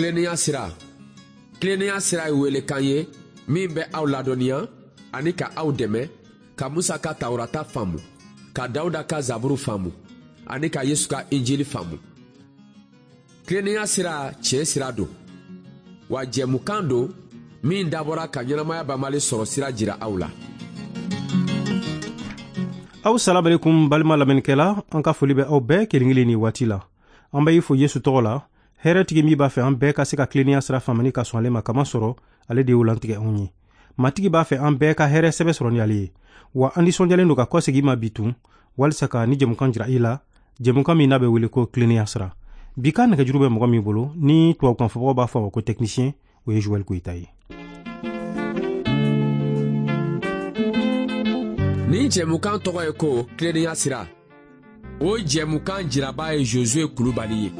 Tilennenya sira. Tilennenya sira ye welekan ye min bɛ aw ladɔnniya ani ka aw dɛmɛ ka Musa ka Tawurata faamu, ka Dawuda ka Zaburu faamu ani ka Yesu ka Injili faamu. Tilennenya sira tiɲɛ sira don, wa jɛmukan don min dabɔra ka ɲɛnamaya banbali sɔrɔ sira jira aw la. Aw salamalekun balima lamɛnnikɛla, an ka foli bɛ aw bɛɛ kelen kelen ni waati la. An bɛ i fo Yesu tɔgɔ la, hɛrɛtigi min b'a fɛ an bɛɛ ka se ka tilennenya sira faamani ka sɔn ale ma, kama sɔrɔ ale de y'o lantigɛ anw ye. Matigi b'a fɛ an bɛɛ ka hɛrɛ sɛbɛ sɔrɔ ni ale ye. Wa an nisɔndiyalen don ka kɔsegin ma bi tun, walisa ka ni jɛmukan jira i la, jɛmukan min n'a bɛ wele ko tilennenya sira. Bi ka nɛgɛjuru bɛ mɔgɔ min bolo, ni tubabukan fɔbagaw b'a fɔ a ma ko technicien, o ye Joël Goyita ye. Nin jɛmukan tɔgɔ ye ko tilennenya sira. O jɛmukan jiraba ye Josué Kulubali ye.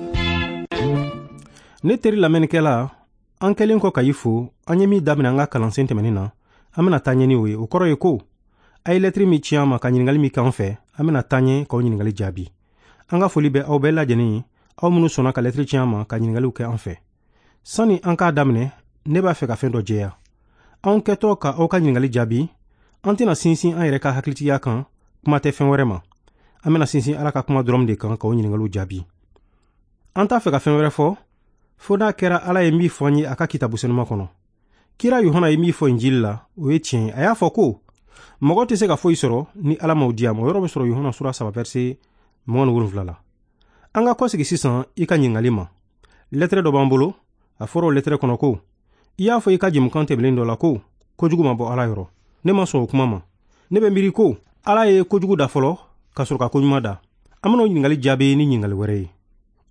Ne teri lamɛnnikɛla, an kɛlen kɔ ka i fo, an ye min daminɛ an ka kalansen tɛmɛnen na, an bɛna taa ɲɛ ni o ye. O kɔrɔ ye ko a ye lɛtiri min ci an ma ka ɲininkali min k'an fɛ, an bɛna taa ɲɛ k'aw ɲininkali jaabi. An ka foli bɛ aw bɛɛ lajɛlen ye, aw minnu sɔnna ka lɛtiri ci an ma ka ɲininkaliw kɛ an fɛ. Sani an k'a daminɛ, ne b'a fɛ ka fɛn dɔ jɛya. Anw kɛtɔ ka aw ka ɲininkali jaabi, an tɛna sinsin an yɛrɛ ka hakilitigiya kan, kuma tɛ fɛn wɛrɛ ma. An bɛna sinsin Ala ka kuma dɔrɔn de kan k'aw ɲininkaliw jaabi. An t'a fɛ ka fɛn wɛrɛ fɔ, fo n'a kɛra Ala ye min fɔ an ye a ka kitabu senuma kɔnɔ. Kira Yohana ye min fɔ Injili la, o ye tiɲɛ ye. A y'a fɔ ko mɔgɔ tɛ se ka foyi sɔrɔ ni Ala m'o di a ma. O yɔrɔ bɛ sɔrɔ Yohana sura 3 verset 27 la. An ka kɔsegi sisan i ka ɲininkali ma. Lɛtɛrɛ dɔ b'an bolo, a fɔra o lɛtɛrɛ kɔnɔ ko i y'a fɔ i ka jɛmukan tɛmɛnen dɔ la ko kojugu ma bɔ Ala yɔrɔ. Ne ma sɔn o kuma ma. Ne bɛ miiri ko Ala ye kojugu da fɔlɔ ka sɔrɔ ka koɲuman da. An bɛna o ɲininkali jaabi ni ɲininkali wɛrɛ ye.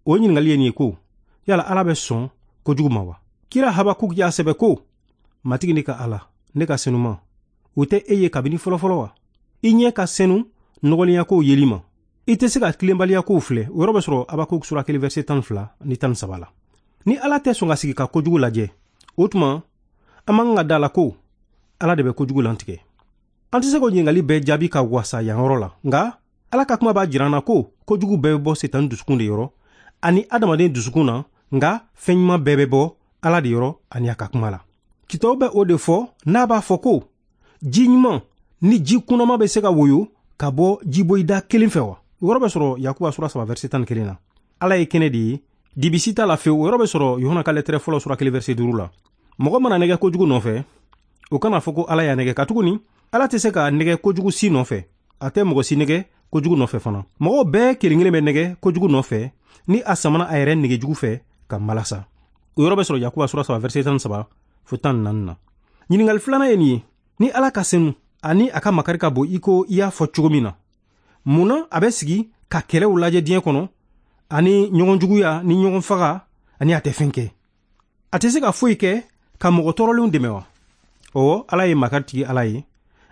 O ɲininkali ye nin ye ko yala Ala bɛ sɔn kojugu ma wa? Kira Habakuk y'a sɛbɛ ko Matigi ne ka Ala, ne ka senuma, o tɛ e ye kabini fɔlɔfɔlɔ wa? I ɲɛ ka senu nɔgɔlenyakow yeli ma. I tɛ se ka tilenbaliyakow filɛ. O yɔrɔ bɛ sɔrɔ Habakuk sura 1 verset 12 ni 13 la. Ni Ala tɛ sɔn ka sigi ka kojugu lajɛ, o tuma an man kan ka da la ko Ala de bɛ kojugu lantigɛ. An tɛ se k'o ɲininkali bɛɛ jaabi ka wasa yan yɔrɔ la, nka Ala ka kuma b'a jira an na ko kojugu bɛɛ bɛ bɔ Sitani dusukun de yɔrɔ ani adamaden dusukun na, nka fɛn ɲuman bɛɛ bɛ bɔ Ala de yɔrɔ ani a ka kuma la. Kitabu bɛ o de fɔ n'a b'a fɔ ko ji ɲuman ni ji kunnama bɛ se ka woyo ka bɔ jiboyida kelen fɛ wa? O yɔrɔ bɛ sɔrɔ Yakuba sura 3 verset 11 na. Ala ye kɛnɛ de ye, dibisi t'a la fewu. O yɔrɔ bɛ sɔrɔ Yohana ka lɛtɛrɛ fɔlɔ sura 1 verset 5 la. Mɔgɔ mana nɛgɛ kojugu nɔfɛ, o kana fɔ ko Ala y'a nɛgɛ, katuguni Ala tɛ se ka nɛgɛ kojugu si nɔfɛ. A tɛ mɔgɔ si nɛgɛ kojugu nɔfɛ fana. Mɔgɔw bɛɛ kelen kelen bɛ nɛgɛ kojugu nɔfɛ ni a samana a yɛrɛ nɛgɛjugu fɛ ka malasa. O yɔrɔ bɛ sɔrɔ Yakuba sura 3 verset 13 fo 14 na. Ɲininkali filanan ye nin ye: ni Ala ka senu ani a ka makari ka bon i ko i y'a fɔ cogo min na, mun na a bɛ sigi ka kɛlɛw lajɛ diɲɛ kɔnɔ ani ɲɔgɔn juguya ni ɲɔgɔn faga ani a tɛ fɛn kɛ? A tɛ se ka foyi kɛ ka mɔgɔ tɔɔrɔlenw dɛmɛ wa? Ɔwɔ, Ala ye makaritigi Ala ye,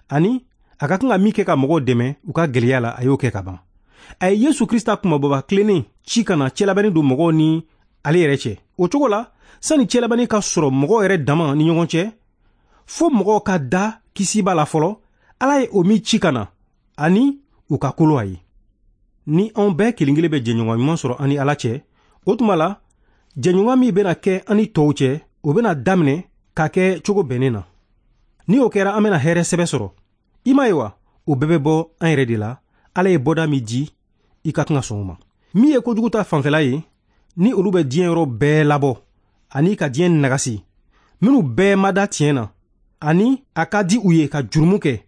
ani a ka kan ka min kɛ ka mɔgɔw dɛmɛ u ka gɛlɛya la, a y'o kɛ ka ban. A ye Yesu Krista kumabɔba tilennen ci ka na cɛlabɛnni don mɔgɔw ni ale yɛrɛ cɛ. O cogo la, sani cɛlabɛnni ka sɔrɔ mɔgɔw yɛrɛ dama ni ɲɔgɔn cɛ, fo mɔgɔw ka da kisiba la fɔlɔ, Ala ye o min ci ka na ani u ka kolo a ye. Ni anw bɛɛ kelen kelen bɛ jɛɲɔgɔn ɲuman sɔrɔ an ni Ala cɛ, o tuma la jɛɲɔgɔn min bɛna kɛ an ni tɔw cɛ, o bɛna daminɛ ka kɛ cogo bɛnnen na. Ni o kɛra, an bɛna hɛrɛ sɛbɛ sɔrɔ. I m'a ye wa, o bɛɛ bɛ bɔ an yɛrɛ de la. Ala ye bɔda min di, i ka kan ka sɔn o ma. Min ye kojugu ta fanfɛla ye, ni olu bɛ diɲɛ yɔrɔ bɛɛ labɔ ani ka diɲɛ nagasi, minnu bɛɛ ma da tiɲɛ na ani a ka di u ye ka jurumu kɛ,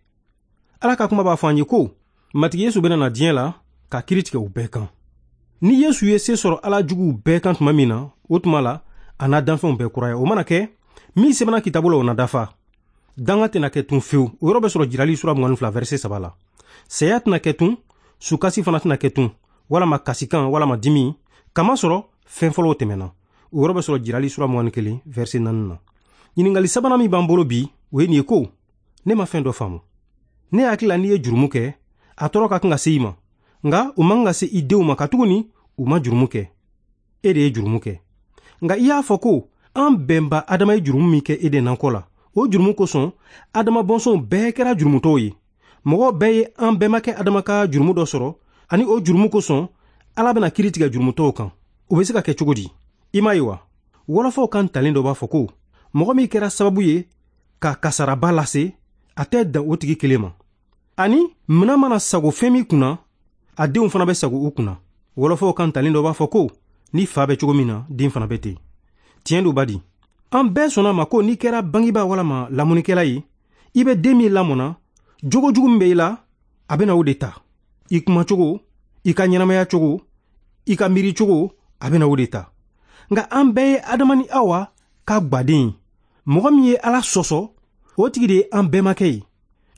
Ala ka kuma b'a fɔ an ye ko Matigi Yesu bɛna na diɲɛ la ka kiiri tigɛ u bɛɛ kan. Ni Yesu ye se sɔrɔ Ala juguw bɛɛ kan tuma min na, o tuma la a n'a danfɛnw bɛɛ kuraya. O mana kɛ, min sɛbɛnna kitabu la, o na dafa. Danga tɛna kɛ tun fewu. O yɔrɔ bɛ sɔrɔ Jirali sura 22 verset 3 la. Saya tɛna kɛ tun, sukasi fana tɛna kɛ tun, walama kasikan walama dimi, kamasɔrɔ fɛn fɔlɔw tɛmɛna. O yɔrɔ bɛ sɔrɔ Jirali sura 21 verset 4 na. Ɲininkali sabanan min b'an bolo bi, o ye nin ye ko ne ma fɛn dɔ faamu. Ne hakili la n'i ye jurumu kɛ, a tɔɔrɔ ka kan ka se i ma, nka o man kan ka se i denw ma, katuguni u ma jurumu kɛ. E de ye jurumu kɛ. Nka i y'a fɔ ko an bɛnba Adama ye jurumu min kɛ Eden nakɔ la, o jurumu kosɔn Adama bɔnsɔnw bɛɛ kɛra jurumutɔw ye. Mɔgɔw bɛɛ ye an bɛnbakɛ Adama ka jurumu dɔ sɔrɔ, ani o jurumu kosɔn Ala bɛna kiiri tigɛ jurumutɔw kan. O bɛ se ka kɛ cogo di? I m'a ye wa? Wɔlɔfɔw kan talen dɔ b'a fɔ ko mɔgɔ min kɛra sababu ye ka kasaraba lase, a tɛ dan o tigi kelen ma. Ani minan mana sago fɛn min kunna, a denw fana bɛ sago u kunna. Wɔlɔfɔw kan talen dɔ b'a fɔ ko ni fa bɛ cogo min na, den fana bɛ ten. Tiɲɛ don badi. An bɛɛ sɔnna ma ko n'i kɛra bangebaa walama lamɔnikɛla ye, i bɛ den min lamɔna, jogo jugu min bɛ i la, a bɛna o de ta. I kumacogo, i ka ɲɛnamaya cogo, i ka miiri cogo, a bɛna o de ta. Nka an bɛɛ ye Adama ni Awa ka gwaden ye. Mɔgɔ min ye Ala sɔsɔ, o tigi de ye an bɛɛmakɛ ye.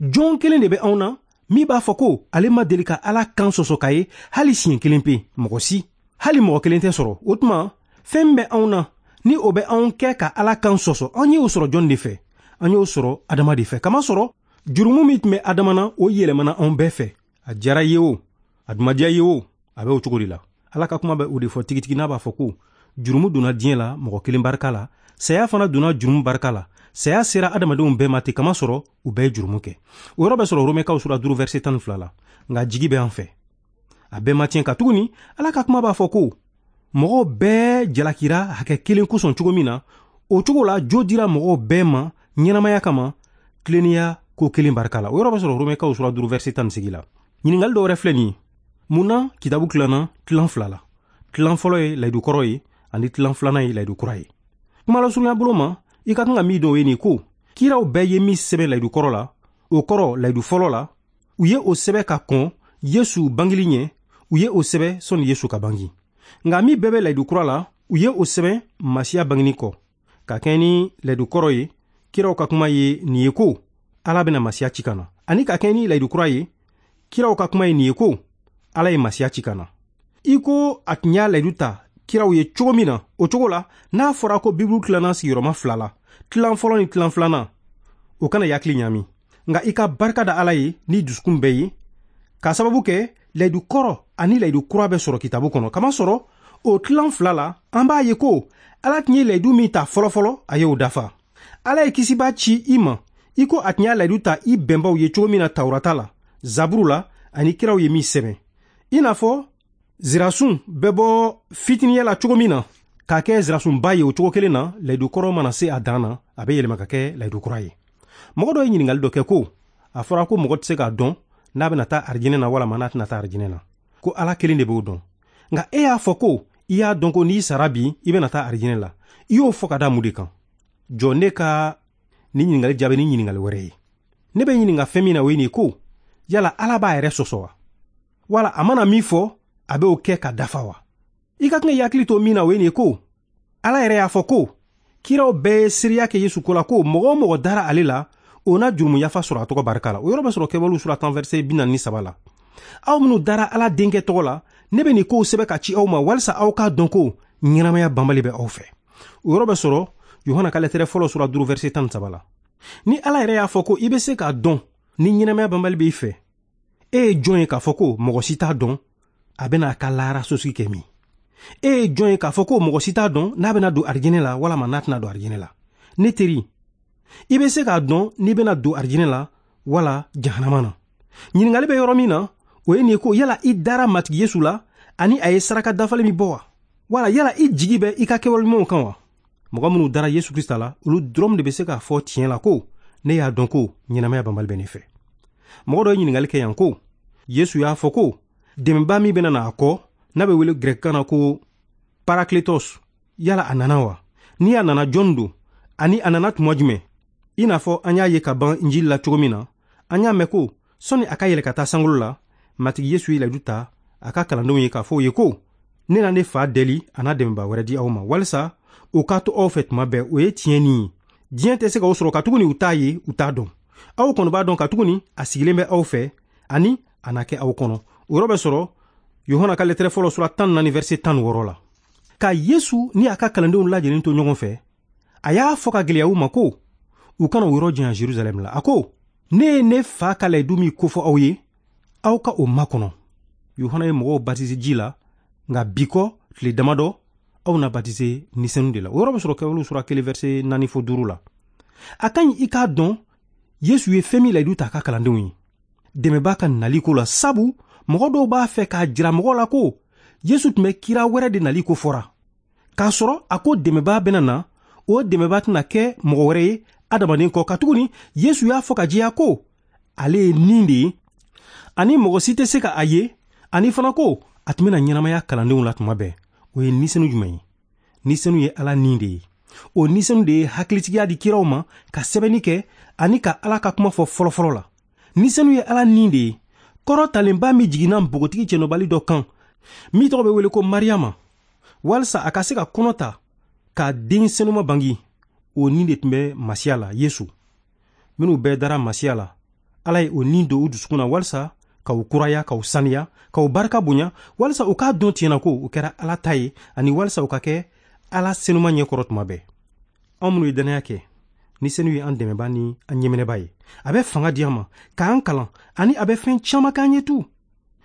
Jɔn kelen de bɛ anw na min b'a fɔ ko ale ma deli ka Ala kan sɔsɔ k'a ye hali siɲɛ kelen pe, mɔgɔ si. Hali mɔgɔ kelen tɛ sɔrɔ. O tuma, fɛn min bɛ anw na ni o bɛ anw kɛ ka Ala kan sɔsɔ, an y'o sɔrɔ jɔn de fɛ? An y'o sɔrɔ Adama de fɛ. Kamasɔrɔ jurumu min tun bɛ Adama na, o yɛlɛmana anw bɛɛ fɛ. A diyara i ye o, a dun ma diya i ye o, a bɛ o cogo de la. Ala ka kuma bɛ o de fɔ tigitigi n'a b'a fɔ ko jurumu donna diɲɛ la mɔgɔ kelen barika la, saya fana donna jurumu barika la. Saya sera adamadenw bɛɛ ma ten kamasɔrɔ u bɛɛ ye jurumu kɛ. O yɔrɔ bɛ sɔrɔ Romɛkaw sura 5 verset 12 la. Nka jigi bɛ an fɛ. A bɛɛ ma tiɲɛ katuguni Ala ka kuma b'a fɔ ko mɔgɔw bɛɛ jalakira hakɛ kelen kosɔn cogo min na, o cogo la jo dira mɔgɔw bɛɛ ma ɲɛnamaya kama tilennenya ko kelen barika la. O yɔrɔ bɛ sɔrɔ Romɛkaw sura 5 verset 18 la. Ɲininkali dɔ wɛrɛ filɛ nin ye. Mun na kitabu tilanna tilan fila la? Tilan fɔlɔ ye layidu kɔrɔ ye ani tilan filanan ye layidu kura ye. Kuma lasurunya bolo ma, i ka kan ka min dɔn o ye nin ko kiraw bɛɛ ye min sɛbɛn layidu kɔrɔ la, o kɔrɔ layidu fɔlɔ la, u ye o sɛbɛn ka kɔn Yesu bangeli ɲɛ, u ye o sɛbɛn sɔnni Yesu ka bangi. Nka min bɛɛ bɛ layidu kura la, u ye o sɛbɛn Masiya bangeni kɔ. Ka kɛɲɛ ni layidu kɔrɔ ye, kiraw ka kuma ye nin ye ko Ala bɛna Masiya ci ka na. Ani ka kɛɲɛ ni layidu kura ye, kiraw ka kuma ye nin ye ko Ala ye Masiya ci ka na. I ko a tun y'a layidu ta kiraw ye cogo min na, o cogo la n'a fɔra ko Bibulu tilanna sigiyɔrɔma fila la, tilan fɔlɔ ni tilan filanan, o kana i hakili ɲaami. Nka i ka barika da Ala ye ni dusukun bɛɛ ye, k'a sababu kɛ layidu kɔrɔ ani layidu kura bɛ sɔrɔ kitabu kɔnɔ. Kamasɔrɔ o tilan fila la, an b'a ye ko Ala tun ye layidu min ta fɔlɔfɔlɔ, a y'o dafa. Ala ye kisibaa ci i ma, i ko a tun y'a layidu ta i bɛnbaw ye cogo min na Tawurata la, Zaburu la ani kiraw ye min sɛbɛn. I n'a fɔ zirasun bɛ bɔ fitiniya la cogo min na k'a kɛ zirasunba ye, o cogo kelen na layidu kɔrɔ mana se a dan na, a bɛ yɛlɛma ka kɛ layidu kura ye. Mɔgɔ dɔ ye ɲininkali dɔ kɛ ko a fɔra ko mɔgɔ tɛ se k'a dɔn n'a bɛna taa arijinɛ na walama n'a tɛna taa arijinɛ na, ko Ala kelen de b'o dɔn. Nka e y'a fɔ ko i y'a dɔn ko n'i sara bi i bɛna taa arijinɛ la, i y'o fɔ ka da mun de kan? Jɔ ne ka nin ɲininkali jaabi ni ɲininkali wɛrɛ ye. Ne bɛ ɲininka fɛn min na o ye nin ye ko yala Ala b'a yɛrɛ sɔsɔ wa? Wala a mana min fɔ a bɛ o kɛ ka dafa wa? I ka kan k'i hakili to min na o ye nin ye ko Ala yɛrɛ y'a fɔ ko kiraw bɛɛ ye seereya kɛ Yesu ko la ko mɔgɔ o mɔgɔ dara ale la, o na jurumu yafa sɔrɔ a tɔgɔ barika la. O yɔrɔ bɛ sɔrɔ Kɛwalew sura 10 verset 43 la. Aw minnu dara Ala denkɛ tɔgɔ la, ne bɛ nin kow sɛbɛn ka ci aw ma walisa aw k'a dɔn ko ɲɛnamaya banbali bɛ aw fɛ. O yɔrɔ bɛ sɔrɔ Yohana ka lɛtɛrɛ fɔlɔ sura 5 verset 13 la. Ni Ala yɛrɛ y'a fɔ ko i bɛ se k'a dɔn ni ɲɛnamaya banbali b'i fɛ, e ye jɔn ye k'a fɔ ko mɔgɔ si t'a dɔn a bɛna a ka lahara sosigi kɛ min? E ye jɔn ye k'a fɔ ko mɔgɔ si t'a dɔn n'a bɛna don arijinɛ la walama n'a tɛna don arijinɛ la? Ne teri, i bɛ se k'a dɔn n'i bɛna don arijinɛ la wala jahanama na. Ɲininkali bɛ yɔrɔ min na, o ye nin ye ko yala i dara Matigi Yesu la ani a ye saraka dafalen min bɔ wa? Wala yala i jigi bɛ i ka kɛwale ɲumanw kan wa? Mɔgɔ minnu dara Yesu Krista la, olu dɔrɔn de bɛ se k'a fɔ tiɲɛ la ko ne y'a dɔn ko ɲɛnamaya banbali bɛ ne fɛ. Mɔgɔ dɔ ye ɲininkali kɛ yan ko Yesu y'a fɔ ko dɛmɛbaa min bɛna na a kɔ, n'a bɛ wele gɛrɛkikan na ko Parakletos, yala a nana wa? Ni a nana, jɔn don? Ani a nana tuma jumɛn? I n'a fɔ an y'a ye ka ban Injili la cogo min na, an y'a mɛn ko sɔnni a ka yɛlɛ ka taa sankolo la, Matigi Yesu ye layidu ta a ka kalandenw ye k'a fɔ u ye ko ne na ne fa deli a n'a dɛmɛbaa wɛrɛ di aw ma walisa o ka to aw fɛ tuma bɛɛ. O ye tiɲɛ nin ye. Diɲɛ tɛ se k'aw sɔrɔ katuguni u t'a ye, u t'a dɔn. Aw kɔni b'a dɔn katuguni a sigilen bɛ aw fɛ ani a na kɛ aw kɔnɔ. O yɔrɔ bɛ sɔrɔ Yohana ka lɛtɛrɛ fɔlɔ sura 14 verset 16 la. Ka Yesu ni a ka kalandenw lajɛlen to ɲɔgɔn fɛ, a y'a fɔ ka gɛlɛya u ma ko u kana o yɔrɔ janya Jerusalɛm la. A ko ne ye ne fa ka layidu min kofɔ aw ye, aw ka o makɔnɔ. Yohana ye mɔgɔw batise ji la, nka bi kɔ tile damadɔ aw na batise Ni Senu de la. O yɔrɔ bɛ sɔrɔ Kɛwalew sura 1 verset 4 fo 5 la. A ka ɲi i k'a dɔn Yesu ye fɛn min layidu ta a ka kalandenw ye dɛmɛbaa ka nali ko la, sabu mɔgɔ dɔw b'a fɛ k'a jira mɔgɔw la ko Yesu tun bɛ kira wɛrɛ de nali ko fɔra. K'a sɔrɔ a ko dɛmɛbaa bɛna na, o dɛmɛbaa tɛna kɛ mɔgɔ wɛrɛ ye adamaden kɔ, katuguni Yesu y'a fɔ ka jɛya ko ale ye nin de ye, ani mɔgɔ si tɛ se ka a ye, ani fana ko a tun bɛna ɲɛnamaya kalandenw la tuma bɛɛ. O ye nisenu jumɛn ye? Nisenu ye Ala nin de ye. O nisenu de ye hakilitigiya di kiraw ma ka sɛbɛnni kɛ ani ka Ala ka kuma fɔ fɔlɔfɔlɔ la. Nisenu ye Ala nin de ye. Kɔrɔtalenba min jiginna npogotigi cɛnɔbali dɔ kan, min tɔgɔ bɛ wele ko Mariyama, walisa a ka se ka kɔnɔ ta ka den senuma bangi, o nin de tun bɛ Masiya la, Yesu. Minnu bɛɛ dara Masiya la, Ala ye o nin don u dusukun na walisa k'u kuraya, k'u saniya, k'u barika bonya, walisa u k'a dɔn tiɲɛna ko u kɛra Ala ta ye, ani walisa u ka kɛ Ala senuma ɲɛkɔrɔ tuma bɛɛ. Anw minnu ye dannaya kɛ, ni senu ye an dɛmɛba ni an ɲɛminɛba ye, a bɛ fanga di an ma k'an kalan, ani a bɛ fɛn caman k'an ye tu.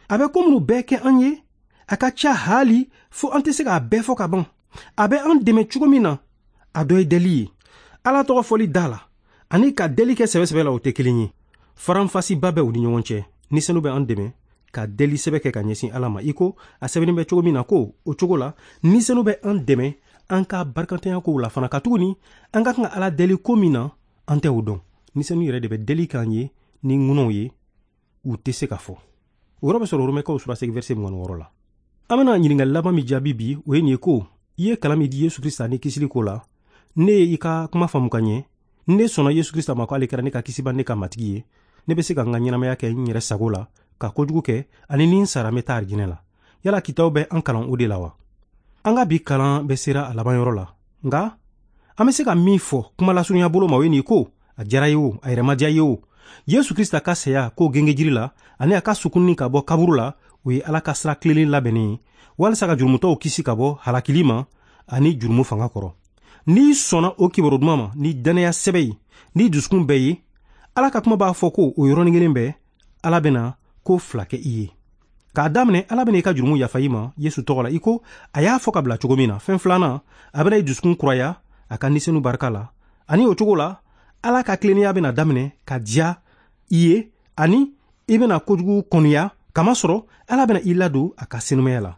A bɛ ko minnu bɛɛ kɛ an ye, a ka ca haali fo an tɛ se k'a bɛɛ fɔ ka ban. A bɛ an dɛmɛ cogo min na, a dɔ ye deli ye. Ala tɔgɔ fɔli da la ani ka deli kɛ sɛbɛsɛbɛ la, o tɛ kelen ye. Faranfasiba bɛ u ni ɲɔgɔn cɛ. Ni senu bɛ an dɛmɛ ka deli sɛbɛ kɛ ka ɲɛsin Ala ma, i ko a sɛbɛnnen bɛ cogo min na ko o cogo la, ni senu bɛ an dɛmɛ an ka barikantanya kow la fana, katuguni an ka kan ka Ala deli ko min na, an tɛ o dɔn. Ni senu yɛrɛ de bɛ deli k'an ye ni ŋunaw ye, u tɛ se ka fɔ. O yɔrɔ bɛ sɔrɔ Romɛkaw sura 8 verset 26 la. An bɛna ɲininkali laban min jaabi bi, o ye nin ye ko i ye kalan min di Yesu Krista ni kisili ko la, ne ye i ka kuma faamu ka ɲɛ, ne sɔnna Yesu Krista ma ko ale kɛra ne ka kisiba, ne ka matigi ye, ne bɛ se ka n ka ɲɛnamaya kɛ n yɛrɛ sago la, ka kojugu kɛ, ani ni n sara n bɛ taa arijinɛ la. Yala kitaw bɛ an kalan o de la wa? An ka bi kalan bɛ sera a laban yɔrɔ la, nka an bɛ se ka min fɔ kuma lasurunya bolo ma, o ye nin ko a diyara ye o, a yɛrɛ ma diya ye o, Yesu Krista ka saya ko gengejiri la ani a ka sukunni ka bɔ kaburu la, o ye Ala ka sira tilennen labɛnnen ye walisa ka jurumutɔw kisi ka bɔ halakili ma ani jurumu fanga kɔrɔ. N'i sɔnna o kibaru duman ma ni dannaya sɛbɛ ye, ni dusukun bɛɛ ye, Ala ka kuma b'a fɔ ko o yɔrɔnin kelen bɛɛ Ala bɛna ko fila kɛ i ye. K'a daminɛ, Ala bɛna i ka jurumu yafa i ma Yesu tɔgɔ la, i ko a y'a fɔ ka bila cogo min na. Fɛn filanan, a bɛna i dusukun kuraya a ka nisenu barika la, ani o cogo la Ala ka tilennenya bɛna daminɛ ka diya i ye, ani i bɛna kojugu kɔniya, kamasɔrɔ Ala bɛna i ladon a ka senumaya la.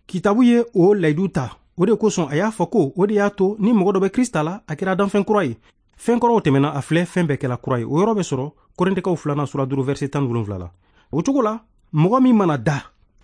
Kitabu ye o layidu ta, o de kosɔn a y'a fɔ ko o de y'a to ni mɔgɔ dɔ bɛ Krista la, a kɛra danfɛn kura ye. Fɛn kɔrɔw tɛmɛna, a filɛ, fɛn bɛɛ kɛla kura ye. O yɔrɔ bɛ sɔrɔ Korintɛkaw 2 sura 5 verset 17 la. O cogo la, mɔgɔ min mana da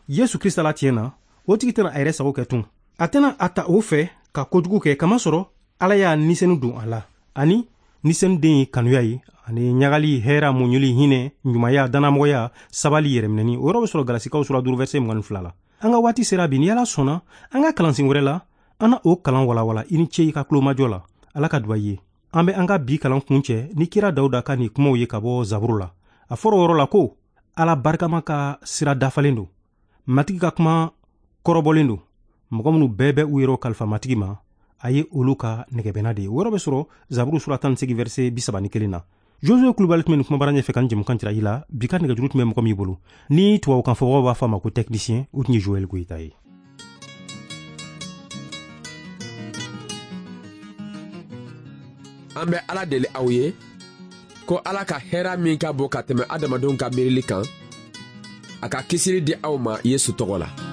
Yesu Krista la tiɲɛ na, o tigi tɛna a yɛrɛ sago kɛ tun. A tɛna a ta o fɛ ka kojugu kɛ, kamasɔrɔ Ala y'a nisenu don a la. Ani nisenu den ye kanuya ye, ani ɲagali, hɛra, muɲuli, hinɛ, ɲumanya, dannamɔgɔya, sabali, yɛrɛminɛni. O yɔrɔ bɛ sɔrɔ Galasikaw sura 5 verset 22 la. An ka waati sera bi, ni Ala sɔnna, an ka kalansen wɛrɛ la, an na o kalan walawala. I ni ce i ka tulomajɔ la. Ala ka duba i ye. An bɛ an ka bi kalan kuncɛ ni kira Dawuda ka nin kumaw ye ka bɔ Zaburu la. A fɔra o yɔrɔ la ko Ala barikama ka sira dafalen don, Matigi ka kuma kɔrɔbɔlen don, mɔgɔ minnu bɛɛ bɛ u yɛrɛw kalifa Matigi ma, a ye olu ka nɛgɛbɛnna de ye. O yɔrɔ bɛ sɔrɔ Zaburu sura 18 verset 31 na. Josue Kulubali tun bɛ nin kumabara ɲɛfɛ ka nin jɛmukan jira i la. Bi ka nɛgɛjuru tun bɛ mɔgɔ min bolo, ni tubabukan fɔbagaw b'a fɔ a ma ko technicien, o tun ye Joël Goyita ye. An bɛ Ala deli aw ye ko Ala ka hɛrɛ min ka bon ka tɛmɛ adamadenw ka miirili kan, a ka kisili di aw ma Yesu tɔgɔ la.